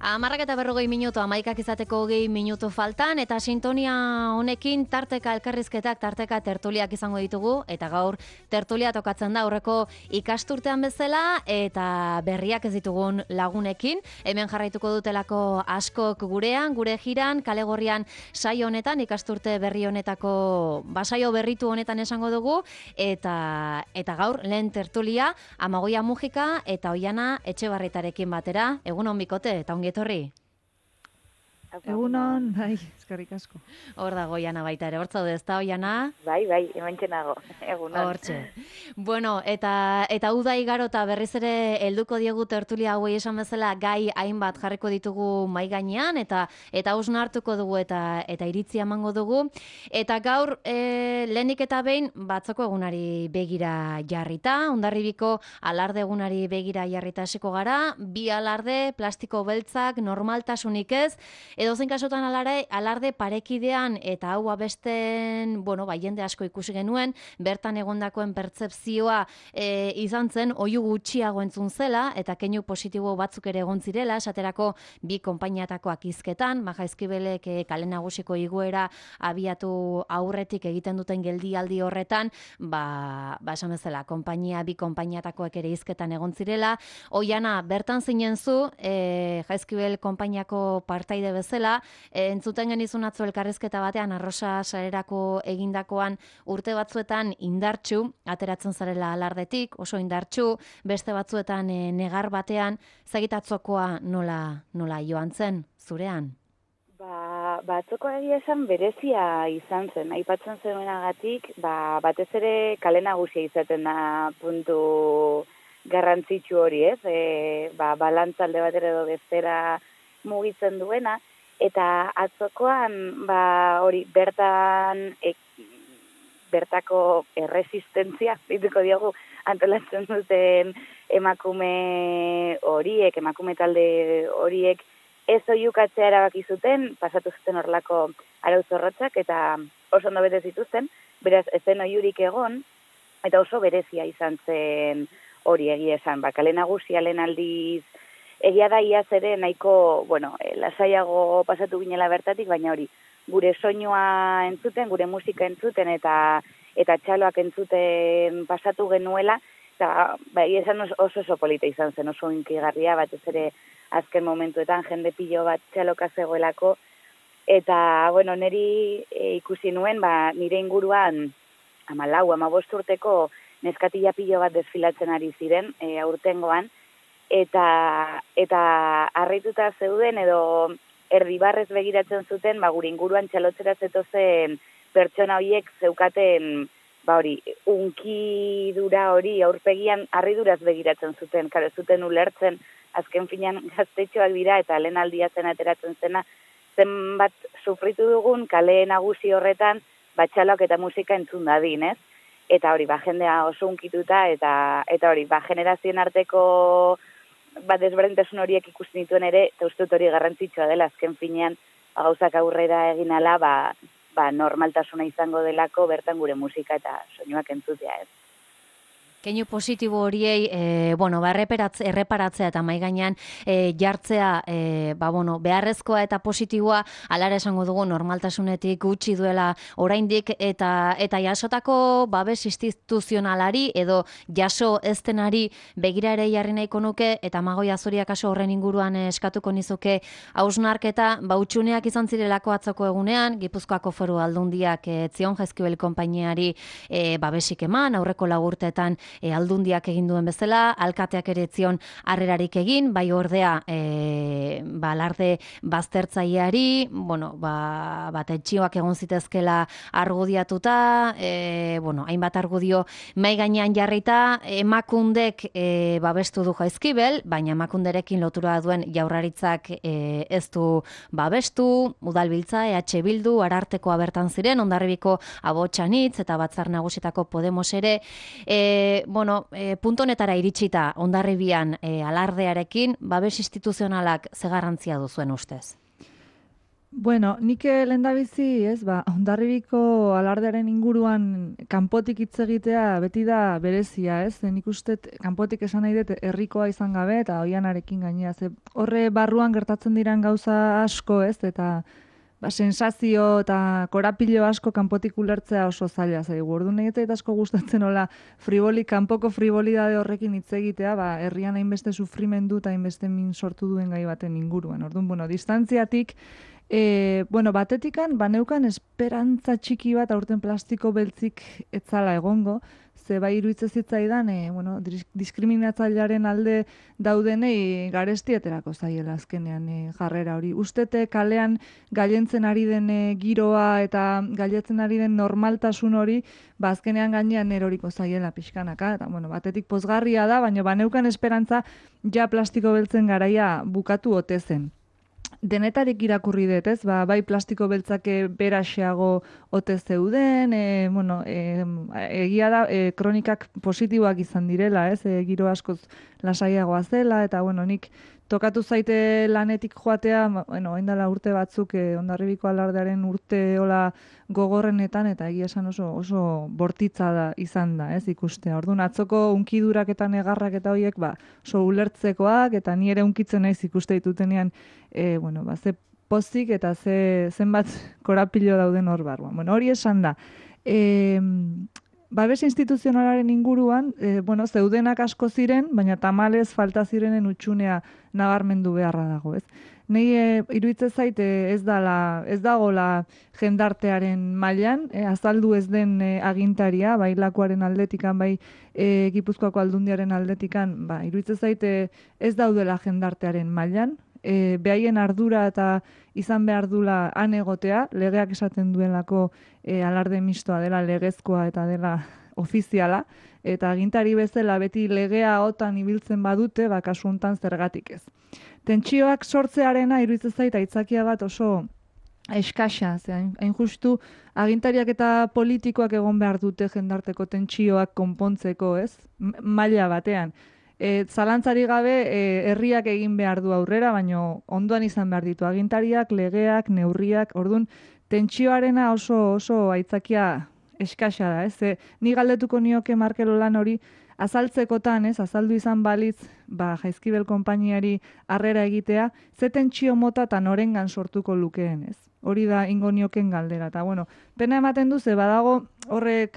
11:40 minutu, 11 izateko 20 minutu faltan, eta sintonia honekin tarteka elkarrizketak, tarteka tertuliak izango ditugu, eta gaur tertulia tokatzen da aurreko ikasturtean bezala, eta berriak ez ditugun lagunekin. Hemen jarraituko dutelako askok gurean, gure jiran, kale gorrian saio honetan, ikasturte berri honetako, basaio berritu honetan esango dugu, eta gaur lehen tertulia, Amagoia Mujika eta Oiana Etxebarrietarekin batera. Egunon bikote, eta ongi etorri. Egunon, bai, eskerrik asko. Hor dago Oiana baita ere, hortza ez da Oiana? Bai, hementxe nago, egunon. Hortxe. Bueno, eta uda igaro eta berriz ere helduko diegu tertulia hauei esan bezala gai hainbat jarriko ditugu mahai gainean, eta hausnartuko dugu eta iritzia emango dugu. Eta gaur, lehenik eta behin, batzoko egunari begira jarrita, Hondarribiko alarde egunari begira jarrita hasiko gara, bi alarde, plastiko beltzak, normaltasunik ez, edozein kasutan alarde parekidean eta hau abesten, jende asko ikusi genuen, bertan egondakoen pertzepzioa izan zen, oihu gutxiago entzun zela, eta keinu positibo batzuk ere egon zirela, esaterako bi konpainiatakoak hizketan, Jaizkibelek kale nagusiko igoera abiatu aurretik egiten duten geldialdi horretan, esan bezala, bi konpainiatakoak ere hizketan egon zirela. Oiana, bertan zinen zu, Jaizkibel konpainiako partaide bezala, entzuten genizun atzo elkarrizketa batean, Arrosa sarerako egindakoan urte batzuetan indartsu, ateratzen zarela alardetik, oso indartsu, beste batzuetan negar batean, zagitatzokoa nola joan zen, zurean? Batzoko egia esan berezia izan zen, aipatzen zenuenagatik, batez ere kale nagusia izaten da puntu garrantzitsu hori, ez? Balantzalde batera edo bestera mugitzen duena, eta atzokoan hori bertako erresistentzia, dituko diogu, antolatzen duten emakume talde horiek, ez oihukatzea erabaki zuten, pasatu zuten horrelako arau zorrotzak, eta oso ondo bete zituzten, beraz, ez zen oihurik egon, eta oso berezia izan zen hori egia esan, kale nagusia lehen aldiz, egia da iaz ere nahiko, lasaiago pasatu ginela bertatik, baina hori, gure soinua entzuten, gure musika entzuten, eta txaloak entzuten pasatu genuela, eta esan oso polita izan zen, oso inkigarria, batez ere azken momentuetan jende pilo bat txaloka zegoelako, eta, niri ikusi nuen, nire inguruan 14-15 urteko neskatila pilo bat desfilatzen ari ziren, aurtengoan, eta harrituta zeuden edo erdibarrez begiratzen zuten, gure inguruan txalotzera zetozen pertsona horiek zeukaten, unkidura hori aurpegian harriduraz begiratzen zuten, karo zuten ulertzen, azken finean gaztetxoak dira eta lehen aldia zen ateratzen zena, zenbat sufritu dugun kale nagusi horretan, txaloak eta musika entzun dadin, ez? Eta hori, jendea oso unkituta, eta hori, generazioen arteko desberdintasun horiek ikusten dituen ere, eta uste dut hori garrantzitsua dela, azken finean, gauzak aurrera egin ala, normaltasuna izango delako, bertan gure musika eta soinuak entzutea, ez. Keinu positibo horiei, erreparatzea eta mahai gainean jartzea, beharrezkoa eta positiboa, alara esango dugu normaltasunetik gutxi duela oraindik, eta jasotako babes instituzionalari edo jaso eztenari begira ere jarri nahiko nuke, eta Amagoia Zuria kaso horren inguruan eskatuko nizuke hausnarketa, utxuneak izan zirelako atzoko egunean, Gipuzkoako Foru Aldundiak Zion Jaizkibel konpainiari babesik eman, aurreko lagurteetan aldundiak egin duen bezala, alkateak ere zion harrerarik egin, bai ordea alarde baztertzaileari, etxioak egon zitezkela argudiatuta, hainbat argudio mahai gainean jarrita, Emakundek babestu du Jaizkibel, baina Emakunderekin lotura duen Jaurlaritzak ez du babestu, Udalbiltza, EH Bildu, Arartekoa bertan ziren, Hondarribiko Abotsanitz eta Batzar Nagusitako Podemos ere, punto honetara iritsita Hondarribian alardearekin, babes instituzionalak ze garrantzia duzuen ustez? Bueno, nik lehendabizi, Hondarribiko alardearen inguruan kanpotik hitz egitea beti da berezia, ez? Nik uste kanpotik esan nahi dut herrikoa izan gabe eta oianarekin gainea. Ze horre barruan gertatzen diran gauza asko, ez? Eta sensazio eta korapilo asko kanpotik ulertzea oso zaila zaigu. Orduan egite eta asko gustatzen hola kanpoko frivolidade horrekin hitz egitea, herrian hainbeste sufrimendu eta hainbeste min sortu duen gai baten inguruan. Orduan, distantziatik batetikan, baneukan esperantza txiki bat aurten plastiko beltzik etzala egongo, ze bai iruditzen zitzaidan, diskriminatzailearen alde daudenei garesti aterako zaiela azkenean jarrera hori. Ustete kalean gailentzen ari den giroa eta gailentzen ari den normaltasun hori, azkenean gainean eroriko zaiela pixkanaka, eta batetik pozgarria da, baina baneukan esperantza ja plastiko beltzen garaia bukatu ote zen. Denetarik irakurri dut, ez? Bai plastiko beltzake beraxeago ote zeuden, egia da, kronikak positiboak izan direla, ez? Giro askoz lasaiagoa zela, eta nik tokatu zaite lanetik joatea, oindala urte batzuk, Hondarribiko alardearen urte hola gogorrenetan, eta egia esan oso bortitza da izan da, ez? Ikustea. Orduan, atzoko unkidurak eta negarrak eta horiek, oso ulertzekoak, eta ni ere unkitzen naiz ikuste ditutenean, ze pozik eta zenbat korapilo dauden hor barruan. Hori esan da. Babes instituzionalaren inguruan, zeudenak asko ziren, baina tamalez falta zirenen utxunea nabarmendu beharra dago, ez? Nei iruditzen zait ez dagola jendartearen mailan, azaldu ez den agintaria, bai lakuaren aldetikan, bai Gipuzkoako aldundiaren aldetikan, iruditzen zait ez daudela jendartearen mailan, behaien ardura eta izan behar dula han egotea, legeak esaten duelako alarde mistoa dela legezkoa eta dela ofiziala, eta agintari bezala beti legea otan ibiltzen badute, kasu hontan zergatik ez. Tentsioak sortzearena iruditzen zait aitzakia bat oso eskasa, hain justu agintariak eta politikoak egon behar dute jendarteko tentsioak konpontzeko, ez? Maila batean. Zalantzari gabe herriak egin behar du aurrera, baina ondoan izan behar ditu agintariak, legeak, neurriak, orduan tentsioarena oso aitzakia eskasa da, ez? Ni galdetuko nioke Markelo lan hori azaltzekotan, ez? Azaldu izan balitz, Jaizkibel konpainiari harrera egitea, ze tentsio mota eta norengan sortuko lukeen, ez? Hori da ingo nioken galdera. Eta, pena ematen du, ze badago horre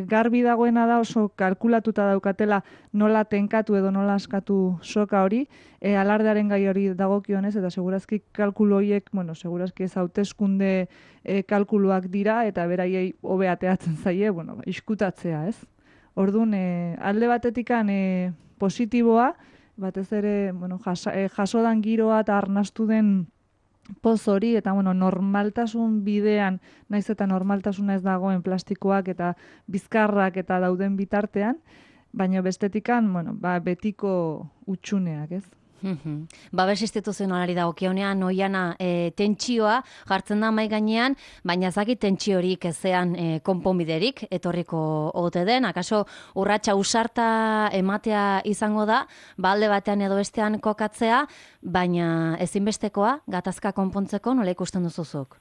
garbi dagoena da oso kalkulatuta daukatela nola tenkatu edo nola askatu soka hori, alardearen gai hori dagokionez, eta segurazki kalkulo horiek, segurazki ez hauteskunde kalkuluak dira, eta beraiei hobe ateatzen zaie, iskutatzea, ez? Orduan, alde batetikan positiboa, batez ere, jasodan giroa eta arnastu den poz hori, eta normaltasun bidean, naiz eta normaltasuna ez dagoen plastikoak eta bizkarrak eta dauden bitartean, baina bestetikan, betiko utxuneak, ez? Babes instituzionalari dagokionean oiana tentsioa jartzen da mahai gainean, baina ezakit tentsiorik ezean konponbiderik etorriko ote den, akaso urratsa usarta ematea izango da, alde batean edo bestean kokatzea, baina ezinbestekoa gatazka konpontzeko nola ikusten duzuzuk?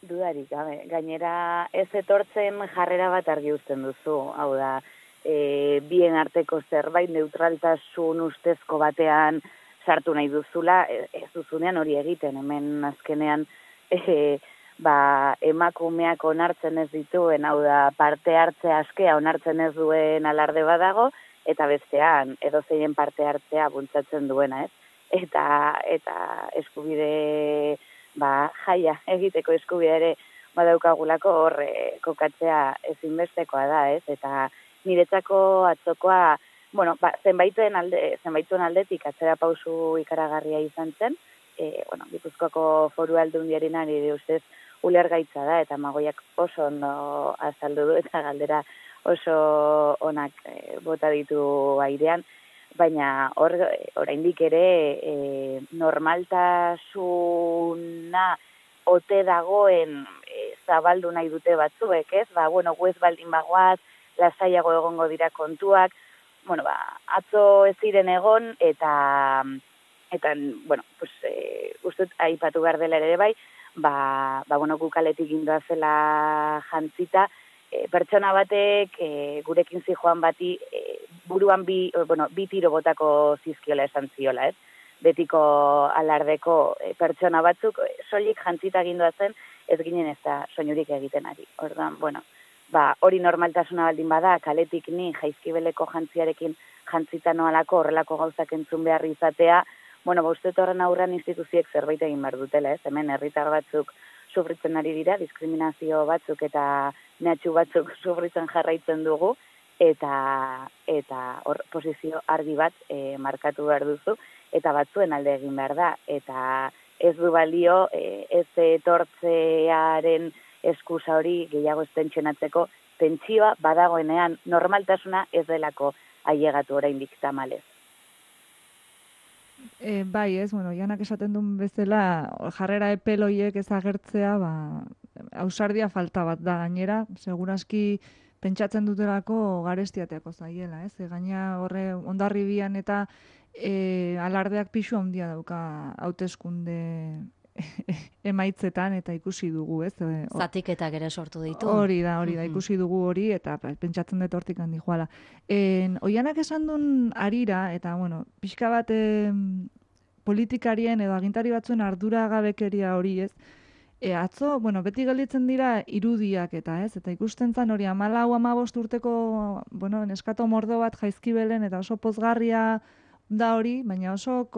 Dudarik, gainera ez etortzen jarrera bat argi uzten duzu, hau da, bien arteko zerbait neutraltasun ustezko batean sartu nahi duzula, ez duzunean hori egiten, hemen azkenean emakumeak onartzen ez dituen, hau da parte hartzea askea onartzen ez duen alarde badago, eta bestean edozeinen parte hartzea bultzatzen duena, ez? Eta eskubide jaia egiteko eskubidea ere badaukagulako hor kokatzea ezinbestekoa da, ez? Eta niretzako atzokoa, zenbaituen aldetik atzera pausu ikaragarria izan zen, Gipuzkoako Foru Aldundiaren nire ustez ulergaitza da, eta Magoiak oso ondo azaldu du, eta galdera oso onak bota ditu airean, baina oraindik ere normaltasuna ote dagoen zabaldu nahi dute batzuek, ez? Guez baldin bagoaz, lasaiago egongo dira kontuak, atzo ez ziren egon, eta ustut aipatu behar dela ere bai, bueno, gukaletik gindoa zela jantzita, pertsona batek gurekin zijoan bati buruan bi tiro botako zizkiola esan ziola, ez? Betiko alardeko pertsona batzuk soilik jantzita gindoa zen, ez ginen ez da soinurik egiten ari. Orduan, bueno, hori normaltasuna baldin bada, kaletik ni jaizkibeleko jantziarekin jantzita noalako horrelako gauzak entzun behar izatea, bueno, uste horren aurrean instituziek zerbait egin behar dutela, ez? Hemen herritar batzuk sufritzen ari dira, diskriminazio batzuk eta mehatxu batzuk sufritzen jarraitzen dugu, eta hor posizio argi bat markatu behar duzu, eta batzuen alde egin behar da, eta ez du balio ez etortzearen eskusa hori gehiago ez tentsionatzeko, tentsioa badagoenean normaltasuna ez delako ailegatu oraindik tamalez. Bai, ez, bueno, Janak esaten duen bezala, jarrera epeloiek ez agertzea, ausardia falta bat da gainera, seguraski pentsatzen dutelako garestiateako zaiela, ez? Gaina horre Hondarribian eta alardeak pisu handia dauka hauteskunde emaitzetan eta ikusi dugu, ez? Zatiketak ere sortu ditu. Hori da, ikusi dugu hori eta pentsatzen dut hortik handi joala. Oianak esan duen arira, eta bueno, pixka bat politikarien edo agintari batzuen arduragabekeria hori, ez? Atzo, bueno, beti gelditzen dira irudiak eta, ez? Eta ikusten zan hori 14-15 urteko, bueno, neskato mordo bat Jaizkibelen eta oso pozgarria da hori, baina oso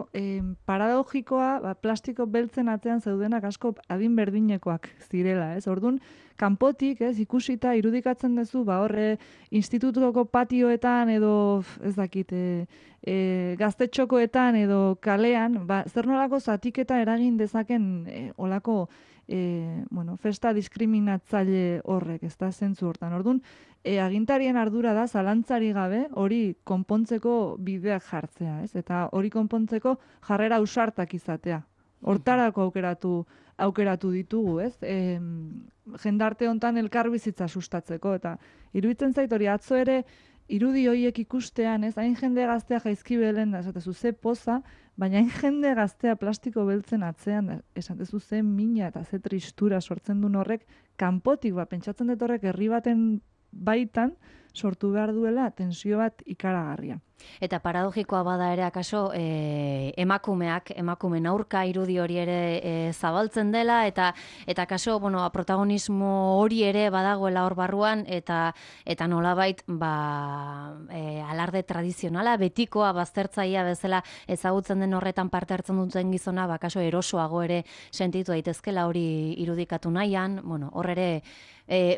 paradogikoa, plastiko beltzen atzean zeudenak asko adin berdinekoak zirela, ez? Orduan, kanpotik, ez, ikusita irudikatzen duzu, horre institutuko patioetan edo, ez dakit, gaztetxokoetan edo kalean, zer nolako zatiketa eragin dezaken olako festa diskriminatzaile horrek, ez da zentzu hortan. Orduan, agintarien ardura da, zalantzari gabe, hori konpontzeko bideak jartzea, ez? Eta hori konpontzeko jarrera ausartak izatea. Hortarako aukeratu ditugu, ez? Jendarte hontan elkarbizitza sustatzeko, eta iruditzen zait hori atzo ere irudi horiek ikustean, ez? Hain jende gaztea Jaizkibelen, esatezu ze poza, baina hain jende gaztea plastiko beltzen atzean, esatezu ze mina eta ze tristura sortzen duen horrek, kanpotik, pentsatzen dut horrek herri baten baitan sortu behar duela tensio bat ikaragarria. Eta paradogikoa bada ere akaso emakumen aurka irudi hori ere zabaltzen dela eta akaso protagonismo hori ere badagoela hor barruan eta nolabait alarde tradizionala betikoa baztertzailea bezala ezagutzen den horretan parte hartzen duten gizona akaso erosoago ere sentitu daitezkela hori irudikatu nahian, hor ere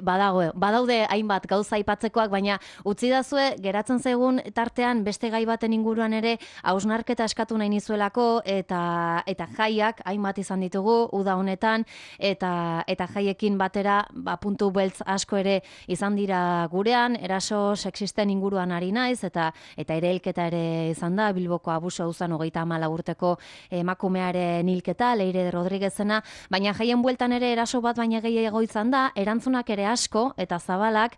badaude hainbat gauza aipatzekoak, baina utzi dazue geratzen zaigun tartean beste gai baten inguruan ere hausnarketa eskatu nahi nizuelako eta jaiak hainbat izan ditugu uda honetan eta jaiekin batera puntu beltz asko ere izan dira gurean, eraso sexisten inguruan ari naiz eta erailketa ere izan da, Bilboko abuso auzan 34 urteko emakumearen hilketa, Leire Rodriguezena, baina jaien bueltan ere eraso bat baina gehiago izan da, erantzunak ere asko eta zabalak,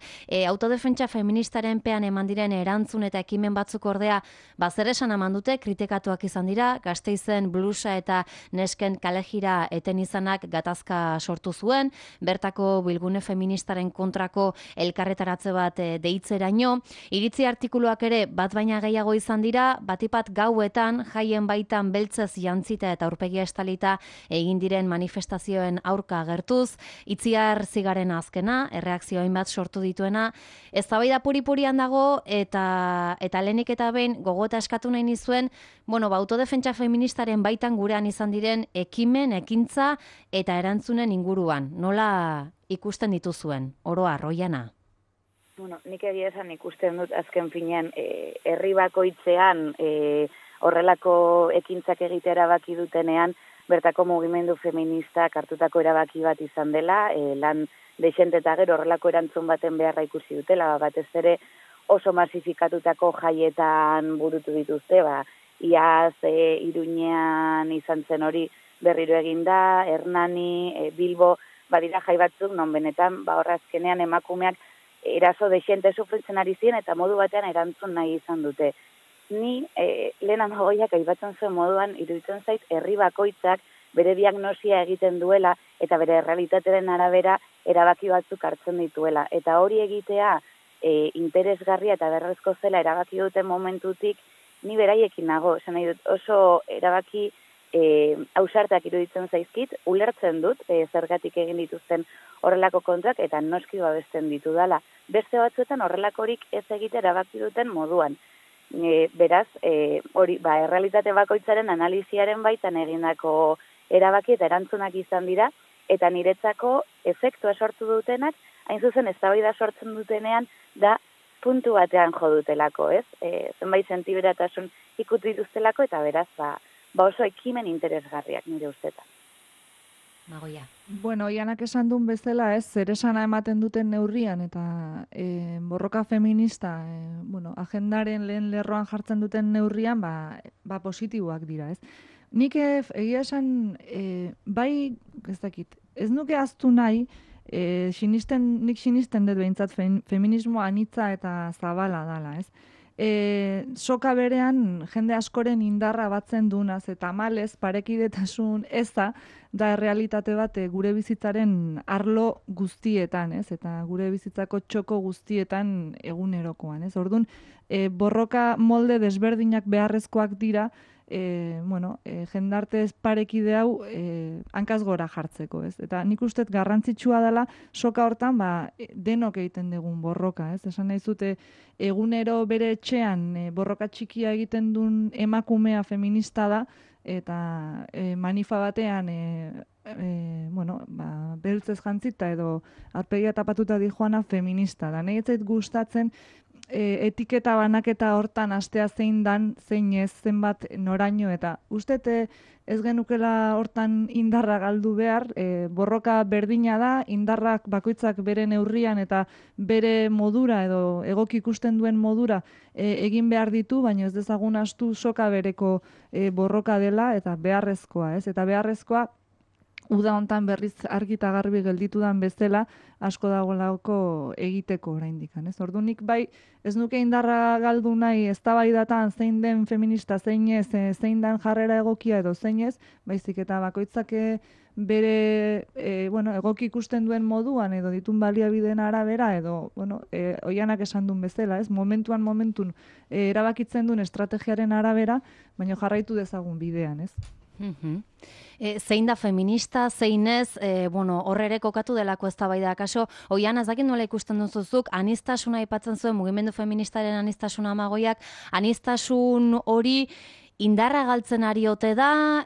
autodefentsa feministaren pean eman diren erantzun eta ekimen batzuk ordea zer esan eman dute, kritikatuak izan dira, Gasteizen blusa eta nesken kalejira eten izanak gatazka sortu zuen, bertako bilgune feministaren kontrako elkarretaratze bat deitzeraino, iritzi artikuluak ere bat baina gehiago izan dira, batipat gauetan, jaien baitan beltzez jantzita eta aurpegia estalita egin diren manifestazioen aurka agertuz, Itziar Zigaren azkena, erreakzioin bat sortu dituena, eztabaida puri-purian dago eta lehenik eta behin gogota eskatu nahi nizuen, autodefentsa feministaren baitan gurean izan diren ekimen, ekintza eta erantzunen inguruan. Nola ikusten dituzuen, oro arroiana? Nik egia esan ikusten dut azken finean herri bakoitzean horrelako ekintzak egitea erabaki dutenean, bertako mugimendu feministak hartutako erabaki bat izan dela, lan dexente eta gero horrelako erantzun baten beharra ikusi dutela, batez ere oso masifikatutako jaietan burutu dituzte, iaz Iruñean izan zen hori berriro eginda, Hernani, Bilbo, badira jai batzuk, non benetan, horrazkenean emakumeak eraso dexente sufritzen ari ziren eta modu batean erantzun nahi izan dute. Ni lehen amagoiak aipatzen zuen moduan iruditzen zait herri bakoitzak bere diagnosia egiten duela eta bere realitatearen arabera erabaki batzuk hartzen dituela. Eta hori egitea interesgarria eta berrezko zela erabaki duten momentutik, ni beraiekin nago, esan nahi dut, oso erabaki ausartak iruditzen zaizkit, ulertzen dut zergatik egin dituzten horrelako kontuak eta noski babesten ditu dala. Beste batzuetan horrelakorik ez egite erabaki duten moduan. Beraz, hori, errealitate bakoitzaren analiziaren baitan egindako erabaki eta erantzunak izan dira, eta niretzako efektua sortu dutenak, hain zuzen eztabaida sortzen dutenean, da puntu batean jo dutelako, ez? Zenbait sentiberatasun ikutu dituztelako, eta beraz, oso ekimen interesgarriak nire ustetan. Magoia. Bueno, Oianak esan duen bezala, ez, zer esana ematen duten neurrian, eta borroka feminista, agendaren lehen lerroan jartzen duten neurrian, positiboak dira, ez. Nik egia esan, bai, ez dakit, ez nuke aztu nahi, nik sinisten dut behintzat feminismo anitza eta zabala dala, ez. Soka berean jende askoren indarra batzen dunaz eta malez parekidetasun eza da realitate bat gure bizitzaren arlo guztietan, ez? Eta gure bizitzako txoko guztietan egunerokoan, ez? Orduan, borroka molde desberdinak beharrezkoak dira, jendarte parekide hau hankaz gora jartzeko, ez? Eta nik uste garrantzitsua dela soka hortan denok egiten dugun borroka, ez? Esan nahi zute egunero bere etxean borroka txikia egiten duen emakumea feminista da, eta manifa batean beltzez jantzita edo arpegia tapatuta dijoana feminista da. Nahi ez zait gustatzen etiketa banaketa hortan astea zein dan, zein ez, zenbat noraino, eta uste ez genukela hortan indarra galdu behar, borroka berdina da, indarrak bakoitzak bere neurrian eta bere modura edo egoki ikusten duen modura egin behar ditu, baina ez dezagun astu soka bereko borroka dela eta beharrezkoa, ez? Eta beharrezkoa uda hontan berriz argi eta garbi gelditu dan bezala asko dagoelako egiteko oraindikan, ez? Orduan nik bai ez nuke indarra galdu nahi eztabaidatan zein den feminista, zein ez, zein den jarrera egokia edo zein ez, baizik eta bakoitzak bere egoki ikusten duen moduan edo ditun baliabideen arabera edo Oianak esan duen bezala, ez? Momentun erabakitzen duen estrategiaren arabera, baina jarraitu dezagun bidean, ez? Zein da feminista, zein ez, horre ere kokatu delako eztabaida. Kaso, Oiana, ez dakit nola ikusten duzuzuk, anistasuna aipatzen zuen, mugimendu feministaren anistasuna Magoiak, anistasun hori indarra galtzen ari ote da,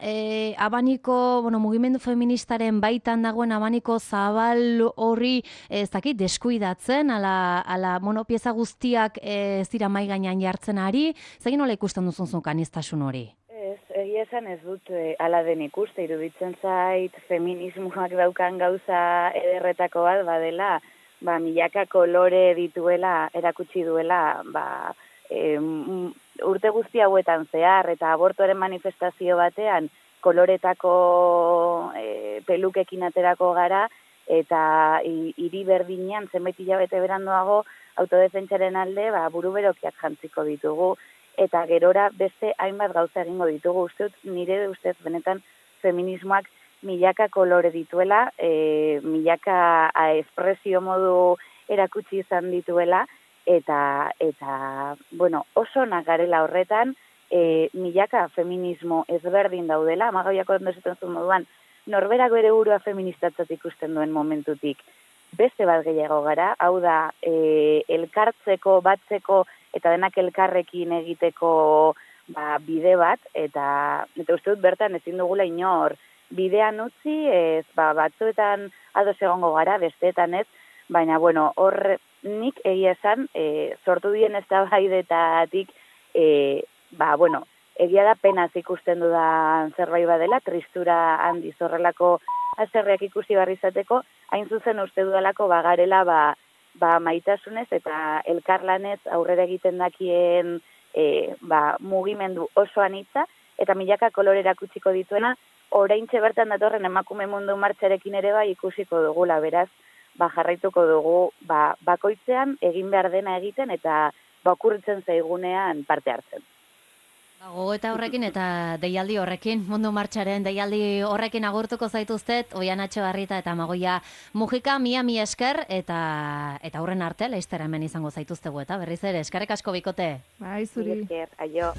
abaniko, mugimendu feministaren baitan dagoen abaniko zabal horri, ez dakit, deskuidatzen, ala pieza guztiak ez dira mai gainean jartzen ari, zegin nola ikusten duzuzuk anistasun hori? Egia esan ez dut ala den ikuste, iruditzen zait feminismoak daukan gauza ederretako bat badela, milaka kolore dituela, erakutsi duela, urte guzti hauetan zehar eta abortuaren manifestazio batean koloretako pelukekin aterako gara eta hiri berdinean zenbait hilabete beranduago autodefentsaren alde buru berokiak jantziko ditugu. Eta gerora beste hainbat gauza egingo ditugu. Nire ustez benetan feminismoak milaka kolore dituela, milaka espresio modu erakutsi izan dituela, eta oso nagarela horretan, milaka feminismo ezberdin daudela, Amagoiako ondozetan zuen moduan, norberako ere burua feministatzat ikusten duen momentutik. Beste bat gehiago gara, hau da, elkartzeko, batzeko, eta denak elkarrekin egiteko bide bat, eta uste dut bertan ezin dugula inor bidean utzi, batzuetan ados egongo gara, besteetan ez, baina hor nik egia esan, sortu dien eztabaidetatik, egia da penaz ikusten dudan zerbait badela, tristura handiz horrelako azerreak ikusi barri izateko, hain zuzen uste dudalako bagarela maitasunez eta elkarlanez aurrera egiten dakien mugimendu oso anitza eta milaka kolore erakutsiko dituena, oraintxe bertan datorren emakume mundu martxarekin ere ikusiko dugula, beraz, jarraituko dugu bakoitzean egin behar dena egiten eta okurritzen zaigunean parte hartzen. Gogoeta horrekin eta deialdi horrekin, Mundu Martxaren deialdi horrekin agurtuko zaituztet, Oian Etxebarrieta eta Amagoia Mujika, mi esker, eta aurren arte, laiztera hemen izango zaituztegu, eta berriz ere, eskerrik asko bikote. Bai, zuri. Esker, aio.